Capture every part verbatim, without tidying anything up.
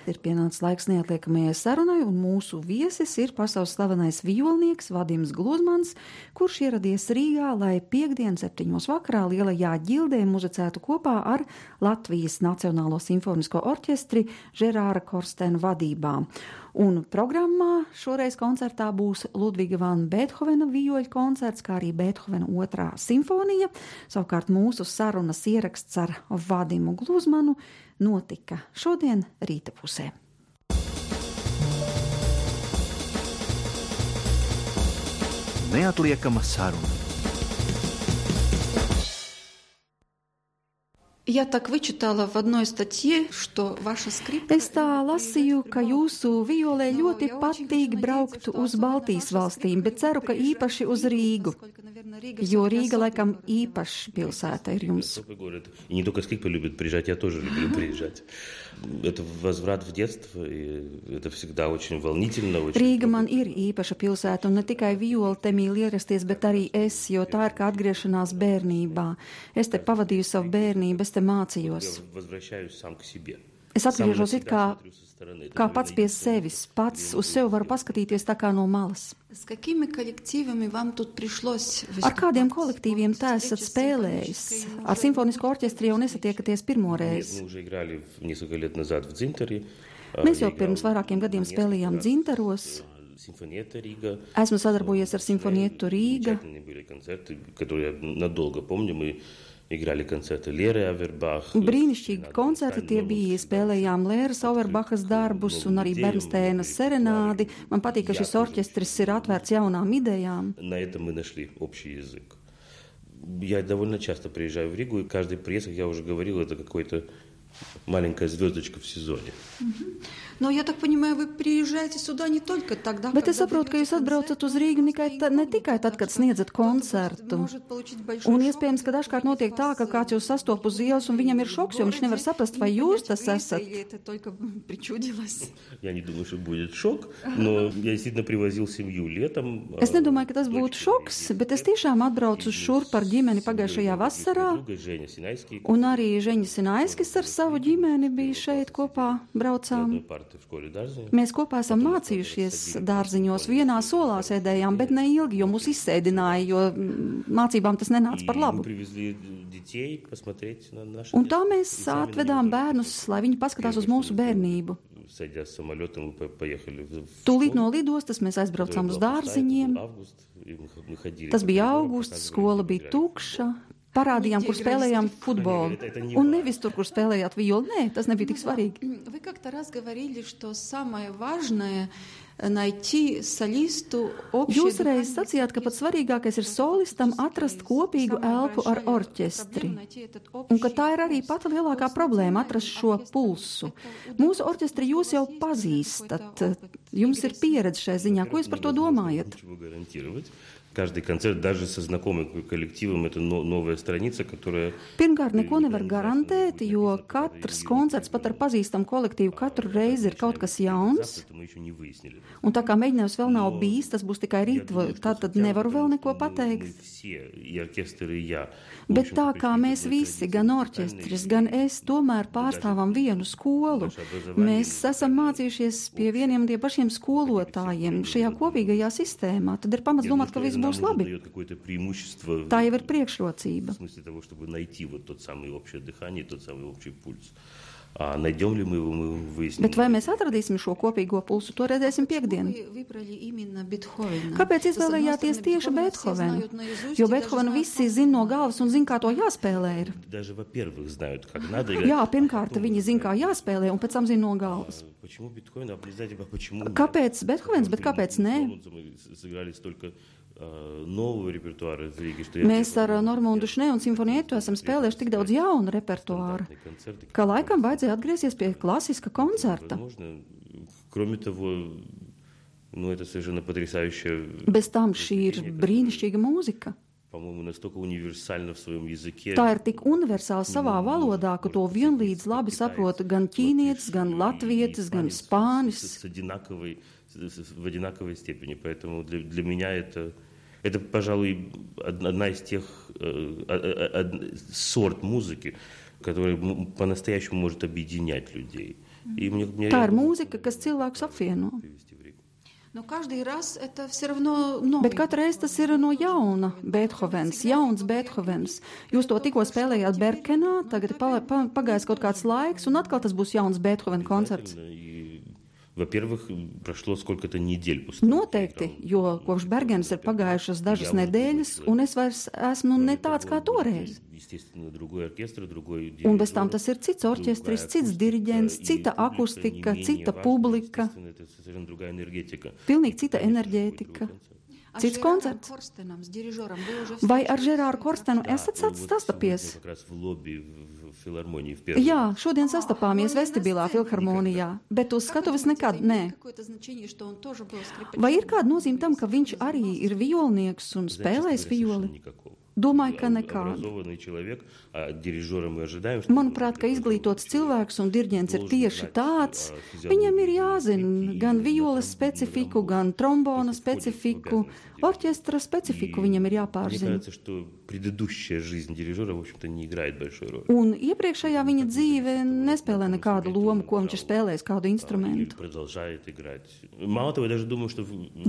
Ir pienācis laiks neatliekamajai sarunai, un mūsu viesis ir pasaules slavenais vijolnieks Vadims Gluzmans, kurš ieradies Rīgā, lai piekdien septiņos vakarā Lielajā ģildē muzicētu kopā ar Latvijas Nacionālo simfonisko orķestri Žerāra Korstena vadībā. Un programmā šoreiz koncertā būs Ludviga van Beethovena vijoļu koncerts, kā arī Beethovena otrā simfonija. Savukārt mūsu sarunas ieraksts ar Vadimu Gluzmanu notika šodien rīta pusē. Neatliekama saruna. Я так вычитала в одной статье, что ваша скрипка... Es tā lasīju, ka jūsu violē ļoti patīk braukt uz Baltijas valstīm, bet ceru, ka īpaši uz Rīgu, jo Rīga laikam īpaši pilsēta ir jums. И не только скрипка любит приезжать, я тоже люблю приезжать. Это возврат в детство, и это всегда очень волнительно. Rīga man ir īpaša pilsēta, un ne tikai viola te mīl ierasties, bet arī es, jo tā ir kā atgriešanās bērnībā. Es te pavadīju savu bērnību, es te mācījos. Es atgriežos it kā, kā pats pie sevis, pats uz sevi varu paskatīties tā kā no malas. Ar kādiem kolektīviem tā esat spēlējis? Ar simfonisko orķestri jau nesatiekaties pirmo reizi. Mēs jau pirms vairākiem gadiem spēlējām Dzintaros. Esmu sadarbojies ar Simfonietu Rīga. Brīnišķīgi koncerti tie bija, spēlējām Lēras Auerbachas darbus un arī Bernsteinas serenādi. Man patīk, ka šis orķestris ir atvērts jaunām idejām. Я довольно часто приезжаю в Ригу, и каждый приезд, как я уже говорил, это какой-то маленькая звездочка в сезоне. Но я так понимаю, вы приезжаете сюда не только тогда, Bet es saprotu, ka jūs atbraucat uz Rīgu ta, ne tikai tad, kad sniedzat koncertu. Un iespējams, ka dažkārt notiek tā, ka kāds jūs sastop uz ielas un viņam ir šoks, jo viņš nevar saprast, vai jūs tas esat. Я не думаю, что будет шок, но я действительно привозил семью летом. Es nedomāju, ka tas būtu šoks, bet es tiešām atbraucu šurp ar ģimeni pagājušajā vasarā. Un arī Žeņa Sinaiskis ar savu ģimeni bija šeit kopā, braucām. Mēs kopā esam mācījušies dārziņos, vienā solā sēdējām, bet ne ilgi, jo mūs izsēdināja, jo mācībām tas nenāca par labu. Un tā mēs atvedām bērnus, lai viņi paskatās uz mūsu bērnību. Tūlīt no lidostas mēs aizbraucām uz dārziņiem. Tas bija augusts, skola bija tukša. Parādījām, kur spēlējām futbolu. Un nevis tur, kur spēlējāt violu. Nē, tas nebija tik svarīgi. Jūs reiz sacījāt, ka pats svarīgākais ir solistam atrast kopīgu elpu ar orķestri. Un ka tā ir arī pati lielākā problēma, atrast šo pulsu. Mūsu orķestri jūs jau pazīstat. Jums ir pieredze šai ziņā. Ko jūs par to domājat? Каждый концерт, даже со знакомым коллективом, это новая страница, которая... Pirmkārt, neko nevar garantēt, jo katrs koncerts pat ar pazīstamu kolektīvu katru reizi ir kaut kas jauns. Un tā kā mēģinājums vēl nav bijis, tas būs tikai rīt, tā tad nevaru vēl neko pateikt. Bet tā kā mēs visi, gan orķestris, gan es, tomēr pārstāvam vienu skolu, mēs esam mācījušies pie vieniem tie pašiem skolotājiem šajā kopīgajā sistēmā, tad ir pamats domāt, ka viss būs labi. Tā jau ir priekšrocība. Bet vai mēs atradīsim šo kopīgo pulsu, to redzēsim piekdien. Kāpēc izvēlējāties tieši Beethovenu? Jo Beethovenu visi zina no galvas un zina, kā to jāspēlē ir. Jā, pirmkārt, viņi zina, kā jāspēlē, un pēc tam zina no galvas. Kāpēc Beethovens, bet kāpēc nē? Mēs ar Normundu Šnē un Simfonietu esam spēlējuši tik daudz jaunu repertuāru, ka laikam vajadzēja atgriezties pie klasiska koncerta. Bez tam šī ir brīnišķīga mūzika. Tā ir tik universāla savā valodā, ka to vienlīdz labi saprot gan ķīnietis, gan latvietis, gan spānis. В одинаковой степени, поэтому для, для меня это, это, пожалуй, одна из тех э, э, сорт музыки, которая по-настоящему может объединять людей. И мне, мне Tā ir mūzika, kas cilvēkus apvieno. Но каждый раз это все равно новый. Bet katru reizi tas ir no jauna Beethovens, jauns Beethovens. Jūs to tikko spēlējāt Berkenā, tagad ir pa, pa, pagājis kaut kāds laiks, un atkal tas būs jauns Beethoven koncerts. Во-первых, прошло сколько-то недель после. Noteikti, jo kopš Bergenas ir pagājušas dažas nedēļas, un es vairs esmu ne tāds kā toreiz. Un bez tam tas ir cits orķestris, cits diriģents, cita akustika, cita publika, pilnīgi cita enerģētika. Cits koncerts. Vai ar Žerāru Korstenu esat sastapies? Jā, šodien sastapāmies vestibilā filharmonijā, bet uz skatuves nekad nē. Vai ir kāda nozīme tam, ka viņš arī ir violnieks un spēlējis violi? Domāju, ka nekāda. Manuprāt, ka izglītots cilvēks un diriģents ir tieši tāds. Viņam ir jāzina gan violas specifiku, gan trombona specifiku, orķestra specifiku viņam ir jāpārzina. Un iepriekšējā viņa dzīve nespēlē nekādu lomu, ko viņš ir spēlējis, kādu instrumentu.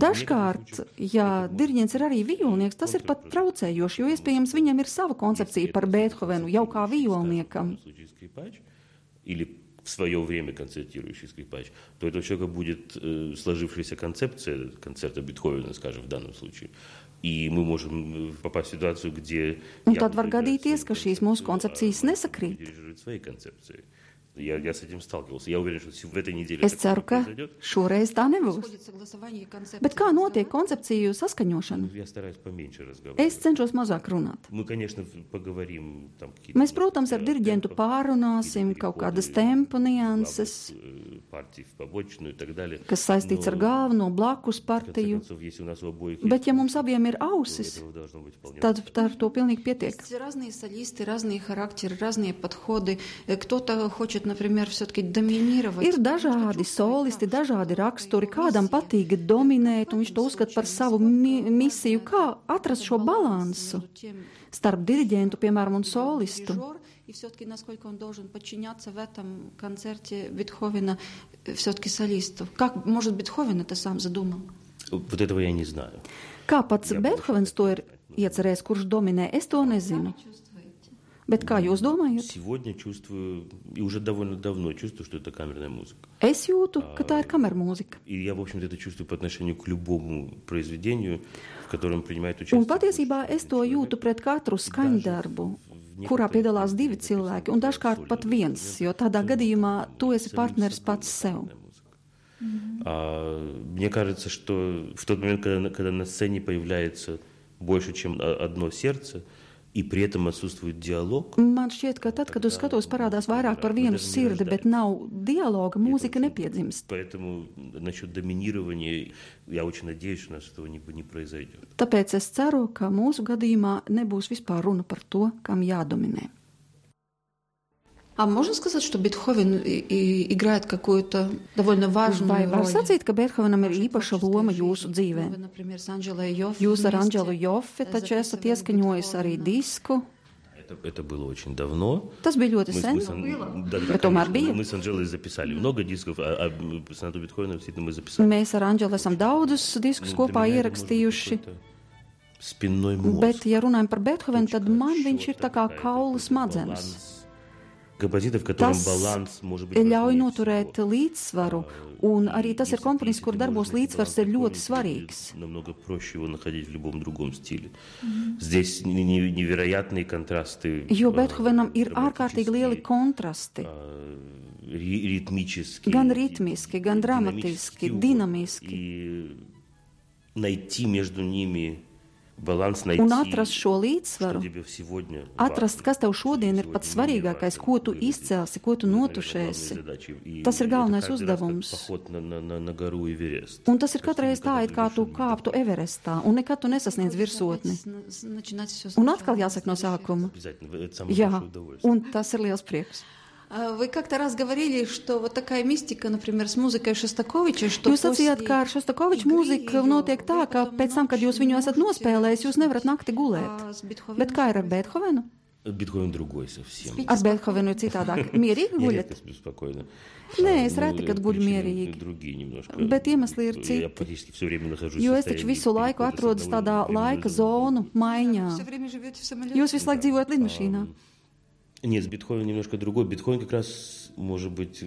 Dažkārt, ja diriģents ir arī violnieks, tas ir pat traucējoši, jo iespējams viņam ir sava koncepcija par Beethovenu jau kā violniekam. В свое время концертирующий скрипач, то это у человека будет э, сложившаяся концепция концерта Бетховена, скажем, в данном случае. И мы можем попасть в ситуацию, где... Un tad var gadīties, ka šīs mūsu koncepcijas nesakrīt. Свои концепции. Я, я с этим сталкивался. Я уверен, что в этой неделе... Es ceru, ka šoreiz tā nebūs. Bet kā notiek koncepciju saskaņošana? Es cenšos mazāk runāt. Mēs, protams, ar diriģentu pārunāsim kaut kādas tempa nianses, kas saistīts ar galveno blakus partiju. Bet, ja mums abiem ir ausis, tad ar to pilnīgi pietiek. Разные солисты, разные характеры, разные подходы. Кто-то хочет, например, все-таки доминировать. Ir dažādi solisti, dažādi raksturi, kādam patīk dominēt, un viņš to uzskata par savu mi misiju. Kā atrast šo balansu starp diriģentu, piemēram, un solistu? И все-таки, насколько он должен подчиняться в этом концерте Бетховена все-таки солисту. Как, может, Бетховен это сам задумал? Вот этого я не знаю. Kā pats Beethovens to ir iecerējis, kurš dominē, es to nezinu. Bet kā jūs domājat? Сегодня чувствую, и уже довольно давно чувствую, что это камерная музыка. Es jūtu, ka tā ir kamermūzika. И я, в общем-то, это чувствую по отношению к любому произведению, в котором принимает участие. Un patiesībā es to jūtu pret katru skaņdarbu, kurā piedalās divi cilvēki, un dažkārt pat viens, jo tādā gadījumā tu esi partneris pats sev. Мне кажется, что в тот момент, когда, когда на сцене появляется больше, чем одно сердце, и при этом отсутствует диалог. Man šķiet, ka tad, kad uz skatuves parādās vairāk par vienu sirdi, bet nav dialoga, mūzika nepiedzimst. Поэтому насчет доминирования я очень надеюсь, что у нас этого не, не произойдет. Tāpēc es ceru, ka mūsu gadījumā nebūs vispār runa par to, kam jādominē. А можно сказать, что Бетховен и, и играет какую-то довольно важную Vai var роль? sacīt, ka Beethovenam ir īpaša loma jūsu dzīvē? Вы, например, с Анджелой Йоффе Jūs ar вместе Anģelu Joffe taču esat ieskaņojis arī disku. Это, это было очень давно. Tas bija ļoti sen, Да, bet tomēr bija. Мы с Анджелой записали много дисков, а, а сонату Бетховена действительно мы записали. Mēs ar Anģelu esam daudzus diskus kopā ierakstījuši. Спинной мозг. Bet, ja runājam par Beethovenu, tad man viņš ir tā kā kaula smadzenes. Tas ļauj noturēt līdzsvaru, un arī tas ir komponists, kur darbos līdzsvars ir ļoti svarīgs. Jo Beethovenam ir ārkārtīgi lieli kontrasti. Gan ritmiski, gan dramatiski, dinamiski. Un atrast šo līdzsvaru, atrast, kas tev šodien ir pats svarīgākais, ko tu izcelsi, ko tu notušēsi. Tas ir galvenais uzdevums. Un tas ir katreiz tā, it kā tu kāptu Everestā, un nekad tu nesasniedz virsotni. Un atkal jāsaka no sākuma. Jā, un tas ir liels prieks. Вы как-то раз говорили, что вот такая мистика, например, с музыкой Šostakoviča, что Jūs sacījāt, ka ar Šostakoviča mūziku notiek tā, ka pēc tam, kad jūs viņu esat nospēlējis, jūs nevarat nakti gulēt. Bet kā ir ar Beethovenu? Бетховен другой совсем. Ar Bethovenu ir citādāk. Mierīgi Я guļat? редко сплю спокойно. Nē, es Ну, reti, kad guļu причины mierīgi. другие немножко. Bet iemesli ir Я citi. практически все время нахожусь в Jo es taču состоянии visu laiku перехода с atrodas одного tādā временного laika зоны. zonu maiņā. Все время живете в самолете. Jūs visu laiku dzīvojat lidmašīnā. Нет, Бетховен немножко другой. Бетховен как раз, может быть,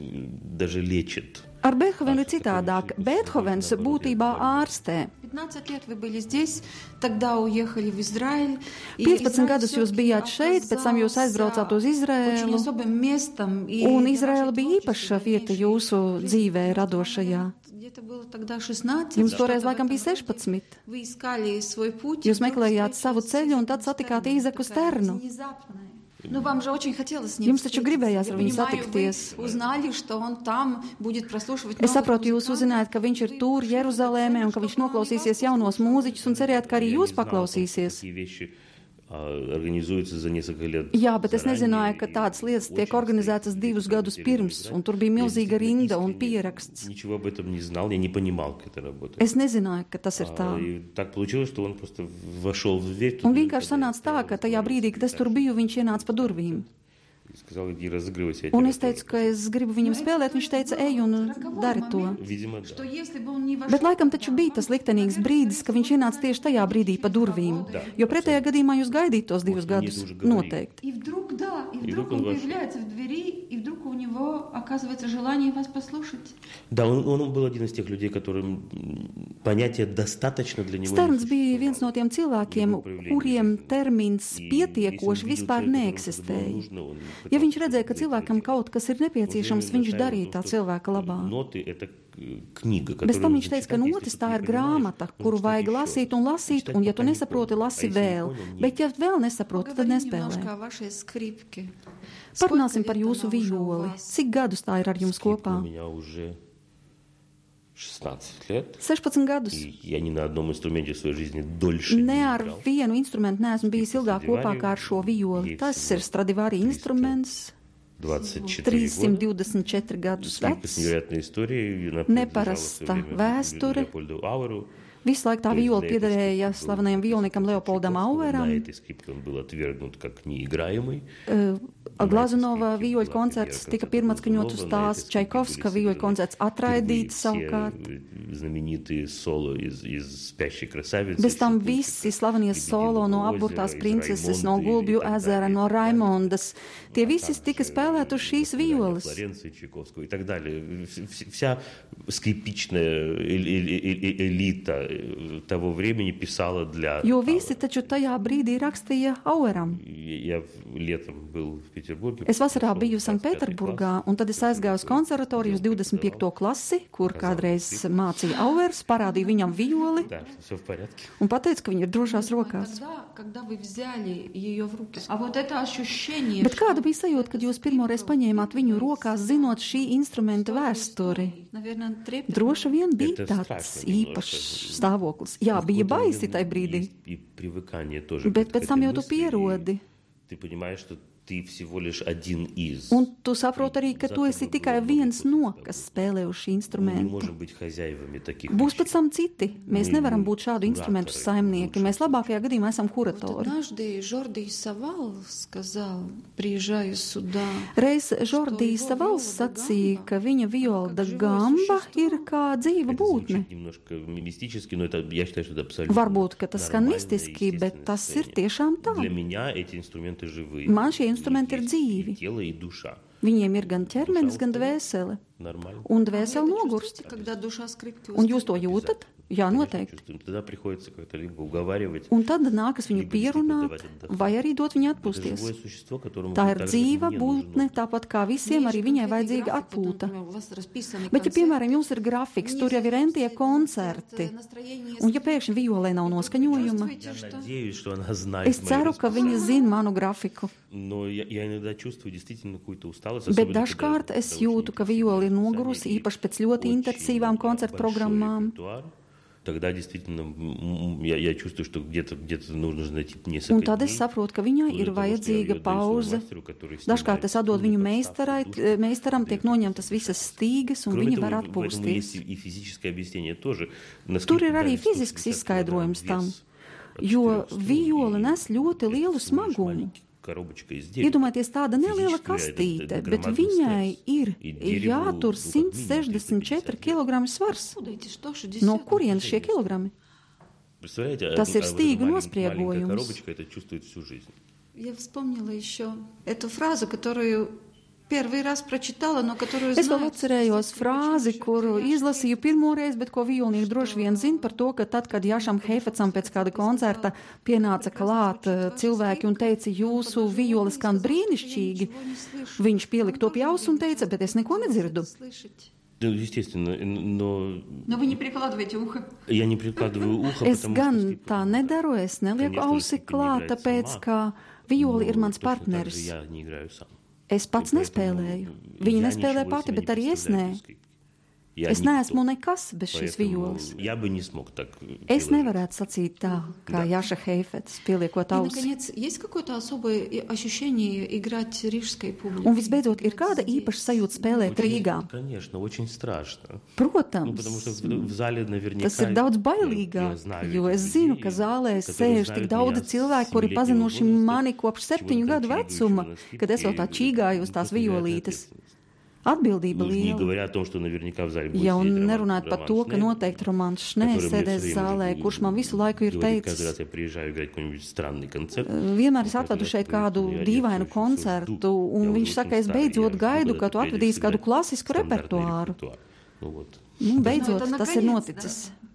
даже лечит. Ar Bethovenu ir citādāk. Bethovens būtībā ārstē. пятнадцать лет вы были здесь, тогда уехали в Израиль. И piecpadsmit Израиль gadus jūs всё-таки bijāt šeit, pēc tam jūs aizbraucāt uz очень Izraēlu. особым местом. И Un для Izraēla вашей bija творческой īpaša vieta дальнейшей jūsu жизни. dzīvē radošajā. Где-то было тогда шестнадцать. Jums что-то toreiz в laikam этом bija роде. sešpadsmit. Вы искали свой путь. Jūs и вдруг meklējāt savu встретились ceļu, un с tad этим satikāt Стерном. Īzaku Такая Sternu. внезапная. Ну, вам же очень хотелось с ним Jums taču встретиться. gribējās Я ar viņu понимаю, satikties. вы узнали, что он там будет прослушивать Es новых saprotu, jūs музыкантов. uzzinājāt, ka viņš ir tur Jeruzalēmē un ka viņš noklausīsies jaunos mūziķus un cerējāt, ka arī Я jūs не знал, paklausīsies. такие вещи а, организуются за несколько лет. Jā, bet es заранее, nezināju, ka и tādas lietas tiek очень organizētas стоит divus перед gadus тем, pirms, да. un tur bija Я milzīga действительно rinda un искренне pieraksts. Ничего об этом не знал, я не понимал, как это работает. Es nezināju, ka tas ir А, tā. и так получилось, что он просто вошел в дверь. Un туда, vienkārši когда я sanāca tā, стоял, ka tajā brīdī, kad es tur так, biju, viņš ienāca pa durvīm. и сказал, иди разыгрывайся. я Un тебя es teicu, тоже. ka es gribu viņam spēlēt, viņš teica, ej un dari to. Видимо, да. Что если бы он не вошел, Bet laikam taču bija tas liktenīgs brīdis, ka viņš ienāca tieši tajā brīdī pa durvīm. Jo pretējā gadījumā jūs gaidītu tos divus gadus. Noteikti. И вдруг, да, и И вдруг вдруг он он вошел. появляется в двери, и вдруг у него оказывается желание вас послушать. Да, он, он был один из тех людей, которым м, понятие достаточно для него Sterns не bija viens существовало. no tiem cilvēkiem, kuriem termins И pietiekoši если он видел vispār человека, которому это было neeksistēja. нужно, он Ja viņš пытался redzēja, ka это cilvēkam сделать. kaut kas ir nepieciešams, viņš darīja tā cilvēka labā. Ноты — это книга, Bez которую tam нужно viņš teica, ka читать, notis если tā ты ir не grāmata, понимаешь, kuru нужно vajag читать lasīt еще. un lasīt, Читать, un ja tu пока не nesaproti, понял. lasi А если не vēl. понял, нет. Bet ja vēl nesaproti, tad Поговорим немножко nespēlē. о вашей скрипке. Parunāsim Сколько par лет jūsu она уже у violi. вас? Cik gadus tā ir ar jums Скрипка kopā? у меня уже шестнадцать лет, sešpadsmit gadus. и я ни на одном инструменте в своей жизни дольше Ne не ar играл. vienu instrumentu neesmu bijis ilgāk kopā kā ar šo violi. Tas ir Stradivari instruments, двадцать четыре года. trīssimt divdesmit četri gadus Скрипка с vecs. невероятной историей. Она Neparasta принадлежала в свое время vēsture. Leopoldu Aueru. Visu laiku tā То есть viola на этой piederēja скрипке был slavenajam violnikam Чайковский, Leopoldam На Aueram. этой скрипке он был отвергнут как неиграемый. Glazunova vīoļu koncerts tika pirmatskaņot uz tās, Čaikovska vīoļu koncerts atraidīts savukārt. Знаменитые соло из, из «Спящей красавицы». Bez tam visi slavenie solo no apburtās princeses, no Gulbju ezera, no Raimondas. Tie visi tika spēlēti uz šīs violas. Флоренции, Чайковского и так далее. Вс- Вся скрипичная эль- эль- эль- элита того времени писала для... Jo visi taču tajā brīdī rakstīja Aueram. Я летом был в Петербурге. Es vasarā пошел biju в двадцать пятый Sanktpēterburgā, класс. un tad es aizgāju uz konservatoriju uz divdesmit piekto klasi, kur kādreiz mācīja Auers, parādīju viņam violi Да, все в порядке. un pateicu, ka viņa ir drošās rokās. Тогда, когда вы взяли ее в руки. А вот это ощущение, Bet kāda bija sajūta, kad jūs pirmoreiz paņēmāt viņu rokās, zinot šī instrumenta vēsturi? наверное, трепетно. Droši vien bija Это tāds страшно īpašs немножко. stāvoklis. Jā, В bija какой-то baisi момент tajā brīdī, есть и привыкание тоже bet к pēc этой tam jau tu мысли, и pierodi. Ты понимаешь, что ты всего лишь один из. Un tu saproti arī, ka tu esi tikai viens no, kas spēlē uz šī Мы не instrumenta. можем быть хозяевами таких Būs вещей. pēc tam citi. Mēs Мы nevaram būt šādu instrumentu кураторы, saimnieki. Mēs labākajā gadījumā esam Вот kuratori. однажды Жорди Савал сказал, приезжаю сюда. Reiz Žordijs Savals sacīja, ka viņa viola da gamba ir kā dzīva Это būtne. звучит немножко мистически, но это, я считаю, что это абсолютно Varbūt, ka tas skan нормальное, mistiski, bet естественное tas ir состояние. tiešām tā. Для меня эти инструменты живые. Man šie У них instrumenti ir есть dzīvi. и тело, и душа. Viņiem ir gan ķermenis, gan dvēsele. Нормально. Un Вы dvēsele это nogurst. чувствуете, когда душа скрипки Un jūs to устает? jūtat? Jā, Конечно, noteikti. чувствуем. Тогда приходится как-то либо уговаривать. Un tad nākas viņu Lība pierunāt, disciplina davāt vai arī dot viņu Это живое atpūsties. существо, которому Tā ir так же, как dzīva мне būtne, нужно. tāpat kā visiem arī viņai vajadzīga atpūta. Bet, ja, piemēram, jums ir grafiks, tur jau ir entie koncerti, un ja pēkšņi violē nav noskaņojuma, Я надеюсь, что она знает es мои ceru, ka viņa zina manu grafiku. Но я, я иногда чувствую действительно какую-то усталость. Bet особенно, dažkārt когда- es когда jūtu, очень ka интенсивное viola ir расписание nogurusi, и īpaši pēc ļoti очень, intensīvām да, koncertu большой programmām. репертуар. Тогда действительно м, м, я, я чувствую, что где-то, где-то нужно найти несколько Un tad es дней. saprotu, ka viņai Вплоть ir до того, что я vajadzīga её отдаю своему pauze. мастеру, который Dažkārt снимает es atdodu струны, viņu подставки, meistarai, душу. meistaram, tiek noņemtas visas stīgas, un Кроме viņi того, var в этом есть atpūsties. и, и физическое объяснение тоже. Tur Насколько ir arī дали сто fizisks пятьдесят килограмм izskaidrojums tam, вес от jo четырёх струн viola и nes ļoti lielu всего лишь smagumu. маленький коробочка из дерева. Iedomājieties, tāda neliela Fiziski, kastīte, это- это bet громадный viņai стресс. ir И дереву, jātur ну, как simt минимум sešdesmit četri kilogrami svars. Откуда эти сто No шестьдесят? kurienes šie kilogrami? Представляете, Tas а- ir а вот эта stīgu малень- nospriegojums. маленькая коробочка это чувствует всю жизнь. Я вспомнила еще эту фразу, которую первый раз прочитала, но которую Es vēl знаю. atcerējos frāzi, kuru izlasīju pirmoreiz, bet ko vijolnieki droši vien zina par to, ka tad, kad Jašam Heifecam pēc kāda koncerta pienāca klāt cilvēki un teica, jūsu vijoles skan brīnišķīgi, viņš pielika to pie auss un teica, bet es neko nedzirdu. Ну, естественно, но Но вы не прикладываете ухо. я не прикладываю ухо, Es потому gan что... tā nedaru, es nelieku Конечно, ausi Stipi не klāt, играет tāpēc, сама, ka violi ir но mans точно так же partneris. я не играю сам. Es pats И поэтому nespēlēju. Viņa я nespēlē ничего pati, себе bet arī не es представляю nē. без скрипки. Я Es никто. neesmu nekas bez šīs Поэтому vijoles. я бы не смог так Es приложить. nevarētu sacīt tā, kā Jaša Heifets, pieliekot И, ausi. наконец, есть какое-то особое и- ощущение играть рижской публике? Un visbeidzot, ir kāda īpaša sajūta spēlēt Rīgā? Конечно, очень страшно. Protams, Ну, потому что в, в зале наверняка... tas ir daudz я- bailīgāk, я знаю jo этих es zinu, людей, ka zālē которые sēž знают tik daudzi меня с cilvēki, kuri семилетнего pazinuši возраста, mani kopš septiņu чего-то gadu vecuma, чирикающего на скрипке, kad es vēl tā и čīgāju uz это tās просто невероятная violītes. ответственность. Atbildība Ну, не liela. говоря о том, что наверняка в зале будет Ja un сидеть Роман- nerunāt par Роман to, ka Шнель, noteikti Romāns Šnē который мне sēdēs всё время zālē, говорит, kurš man visu laiku ir говорит, каждый раз teicis, я приезжаю играть какой-нибудь странный концерт. vienmēr es un atvedu katru šeit reizi kādu я- я dīvainu всё- всё koncertu, жду. un Я viņš уже saka, очень es старый, beidzot я gaidu, жду, ka tu когда atvedīsi kādu приедешь klasisku играть стандартный repertuāru. репертуар. Ну вот. Nu, beidzot, это tas ir наконец, noticis. да.